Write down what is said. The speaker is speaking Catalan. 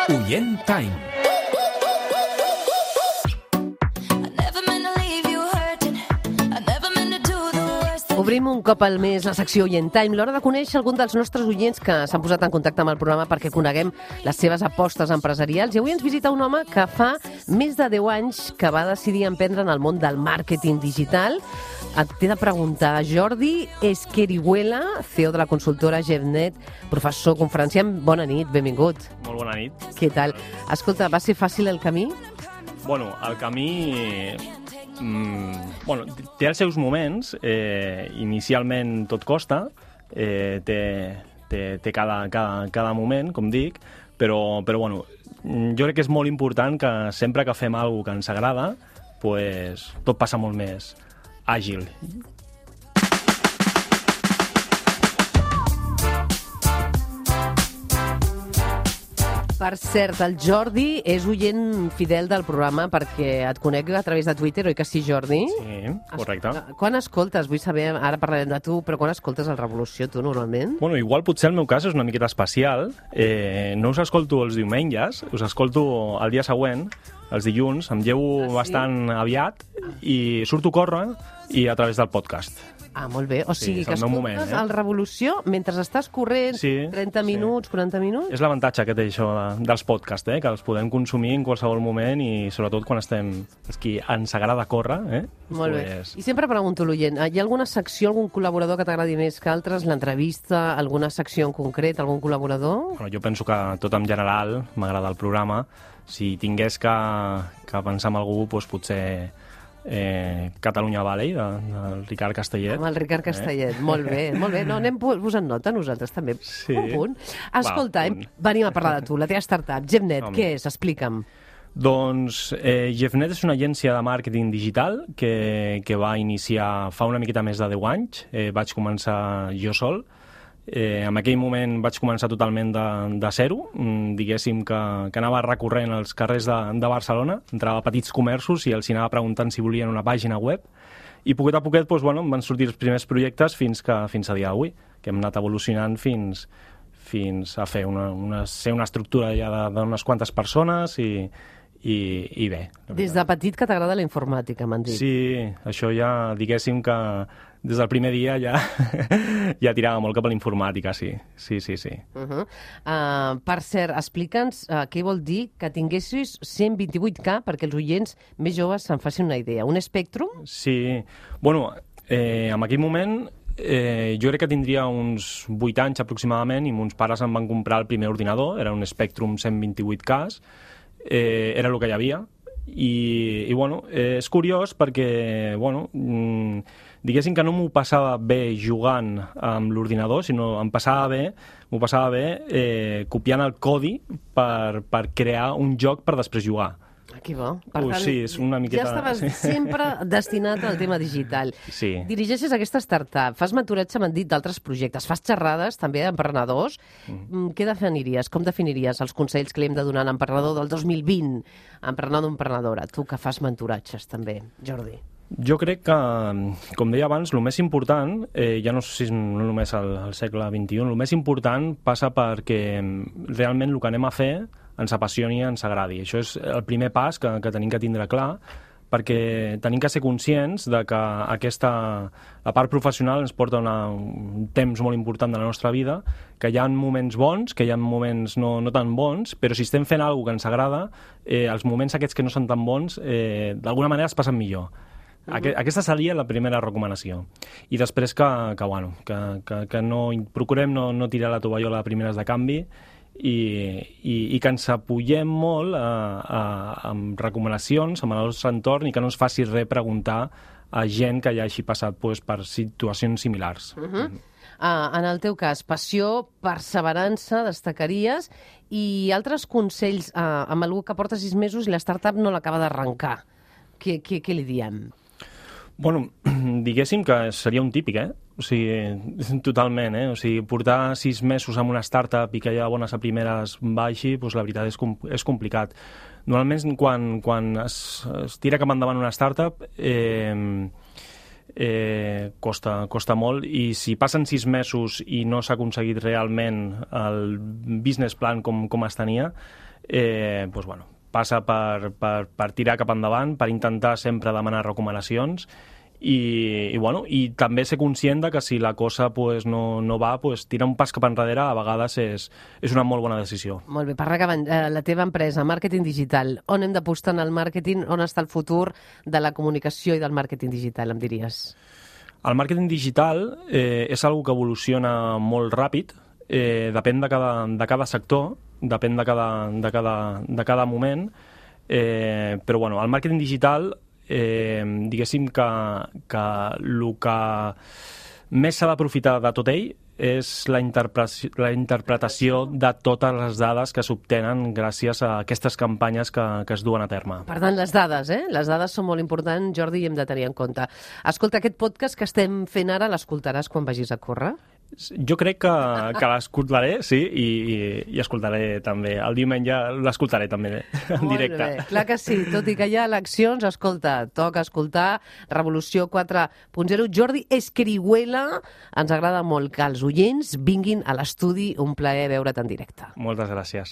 Oient Time. Obrim un cop al mes la secció Oient Time, l'hora de conèixer algun dels nostres oients que s'han posat en contacte amb el programa perquè coneguem les seves apostes empresarials. I avui ens visita un home que fa més de 10 anys que va decidir emprendre en el món del màrqueting digital. Et t'he de preguntar, Jordi Esquerihuela, CEO de la consultora Jevnet, professor, conferenciant, bona nit, benvingut. Molt bona nit. Què tal? Escolta, va ser fàcil el camí? Bueno, el camí... té els seus moments. Inicialment tot costa, té cada moment, com dic, però bueno, jo crec que és molt important que sempre que fem alguna cosa que ens agrada, pues, tot passa molt més àgil. Per cert, el Jordi és oient fidel del programa perquè et conec a través de Twitter, oi que sí, Jordi? Sí, correcte. Quan escoltes? Vull saber, ara parlarem de tu, però quan escoltes el Revolució, tu, normalment? Bueno, igual potser el meu cas és una miqueta especial. No us escolto els diumenges, us escolto el dia següent, els dilluns, em llevo bastant aviat i surto a córrer i a través del podcast. Ah, molt bé. O sigui, que escoltes moment, el Revolució mentre estàs corrent, sí, 30 minuts, 40 minuts? És l'avantatge que té això dels podcasts, que els podem consumir en qualsevol moment i sobretot quan estem... És que ens agrada córrer, Molt bé. I sempre pregunto a l'oient, hi ha alguna secció, algun col·laborador que t'agradi més que altres? L'entrevista, alguna secció en concret, algun col·laborador? Bueno, jo penso que tot en general m'agrada el programa. Si tingués que pensar en algú, doncs potser... Catalunya Valley, del Ricard Castellet. Amb el Ricard Castellet, molt bé, molt bé. No, anem posant nota nosaltres també. Sí. Un punt. Escolta, venim a parlar de tu, la teva startup, Jevnet, què és? Explica'm. Doncs Jevnet és una agència de màrqueting digital que va iniciar fa una miqueta més de 10 anys. Vaig començar jo sol. En aquell moment vaig començar totalment de zero, diguéssim que anava recorrent als carrers de Barcelona, entrava a petits comerços i els anava preguntant si volien una pàgina web, i poquet a poquet doncs, em van sortir els primers projectes fins a dia d'avui, que hem anat evolucionant fins a fer ser una estructura ja d'unes quantes persones i bé. Des de petit que t'agrada la informàtica, m'han dit. Sí, això ja, diguéssim que des del primer dia ja tirava molt cap a la informàtica, sí. Per cert, explica'ns què vol dir que tinguessis 128K perquè els oients més joves se'n facin una idea. Un Spectrum? Sí. Bueno, en aquell moment jo crec que tindria uns 8 anys aproximadament i mons pares em van comprar el primer ordinador, era un Spectrum 128K, era el que hi havia. I bueno, és curiós perquè, diguéssim que no m'ho passava bé jugant amb l'ordinador, sinó m'ho passava bé copiant el codi per crear un joc per després jugar. Que bo. Per tant, sí, és una miqueta... Ja estaves sempre destinat al tema digital. Sí. Dirigeixes aquesta startup, fas mentoratge, m'han dit, d'altres projectes, fas xerrades també d'emprenedors. Què definiries? Com definiries els consells que li hem de donar a l'emprenedor del 2020? Emprenedor o emprenedora, tu que fas mentoratges també, Jordi. Jo crec que, com deia abans, el més important, ja no sé si no només al segle XXI, el més important passa perquè realment el que anem a fer ens apassioni i ens agradi. Això és el primer pas que tenim que tindre clar, perquè tenim que ser conscients de que la part professional ens porta un temps molt important de la nostra vida, que hi ha moments bons, que hi ha moments no tan bons, però si estem fent alguna cosa que ens agrada, els moments aquests que no són tan bons, d'alguna manera es passen millor. Aquesta seria la primera recomanació. I després que procurem no tirar la tovallola de primeres de canvi i que ens apoyem molt amb recomanacions, amb el nostre entorn i que no ens faci res preguntar a gent que ja hagi passat per situacions similars. En el teu cas, passió, perseverança, destacaries, i altres consells amb algú que porta 6 mesos i la startup no l'acaba d'arrencar. Què li diem? Bueno, diguéssim que seria un típic, O sigui, totalment, O sigui, portar 6 mesos amb una startup i que ja bones a primeres baixi, doncs la veritat és complicat. Normalment, quan es tira cap endavant una startup, costa molt, i si passen 6 mesos i no s'ha aconseguit realment el business plan com es tenia, passa per tirar cap endavant, per intentar sempre demanar recomanacions i també ser conscient de que si la cosa no va, tirar un pas cap enrere a vegades és una molt bona decisió. Molt bé, per acabar, la teva empresa, màrqueting digital, on hem d'apostar en el màrqueting, on està el futur de la comunicació i del màrqueting digital, em diries? El màrqueting digital és una que evoluciona molt ràpid, depèn de cada sector, depèn de cada moment, però el màrqueting digital diguéssim que el que més s'ha d'aprofitar de tot ell és la interpretació de totes les dades que s'obtenen gràcies a aquestes campanyes que es duen a terme. Per tant, les dades, Les dades són molt importants, Jordi, i hem de tenir en compte. Escolta, aquest podcast que estem fent ara, l'escoltaràs quan vagis a córrer? Jo crec que l'escoltaré, sí, i escoltaré també. El diumenge l'escoltaré també en directe. Molt bé, clar que sí. Tot i que hi ha eleccions, escolta, toca escoltar Revolució 4.0. Jordi Escrihuela, ens agrada molt que els oients vinguin a l'estudi. Un plaer veure't en directe. Moltes gràcies.